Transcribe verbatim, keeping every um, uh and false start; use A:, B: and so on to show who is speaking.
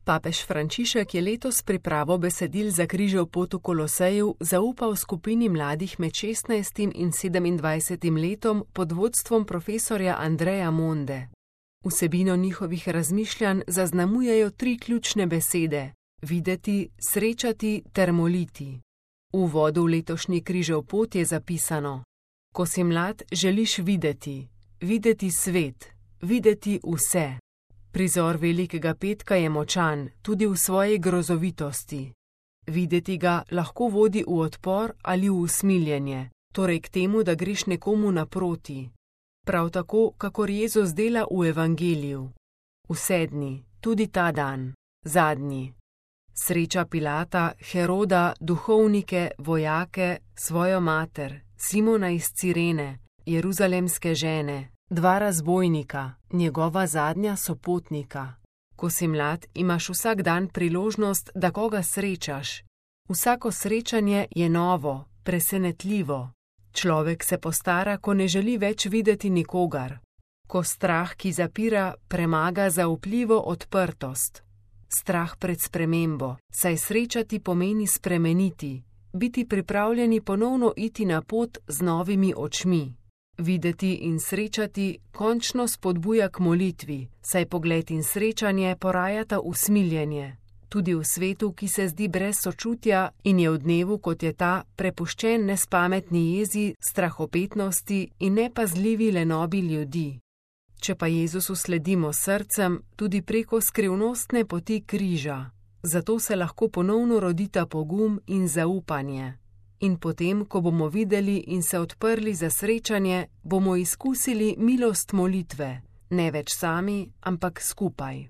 A: Papež Frančišek je letos pripravo besedil za križev pot v Koloseju zaupal skupini mladih med šestnajstim in sedemindvajsetim letom pod vodstvom profesorja Andreja Monde. Vsebino njihovih razmišljanj zaznamujejo tri ključne besede: videti, srečati ter moliti. V uvodu v letošnji križev pot je zapisano: ko si mlad, želiš videti, videti svet, videti vse. Prizor Velikega petka je močan, tudi v svoji grozovitosti. Videti ga lahko vodi v odpor ali v usmiljenje, torej k temu, da greš nekomu naproti. Prav tako, kakor Jezus dela v evangeliju. Vse dni, tudi ta dan, zadnji. Sreča Pilata, Heroda, duhovnike, vojake, svojo mater, Simona iz Cirene, jeruzalemske žene, dva razbojnika, njegova zadnja sopotnika. Ko si mlad, imaš vsak dan priložnost, da koga srečaš. Vsako srečanje je novo, presenetljivo. Človek se postara, ko ne želi več videti nikogar. Ko strah, ki zapira, premaga zaupljivo odprtost. Strah pred spremembo, saj srečati pomeni spremeniti, biti pripravljeni ponovno iti na pot z novimi očmi. Videti in srečati končno spodbuja k molitvi, saj pogled in srečanje porajata usmiljenje. Tudi v svetu, ki se zdi brez sočutja in je v dnevu, kot je ta, prepuščen nespametni jezi, strahopetnosti in nepazljivi lenobi ljudi. Če pa Jezusu sledimo srcem, tudi preko skrivnostne poti križa. Zato se lahko ponovno rodita pogum in zaupanje. In potem, ko bomo videli in se odprli za srečanje, bomo izkusili milost molitve, ne več sami, ampak skupaj.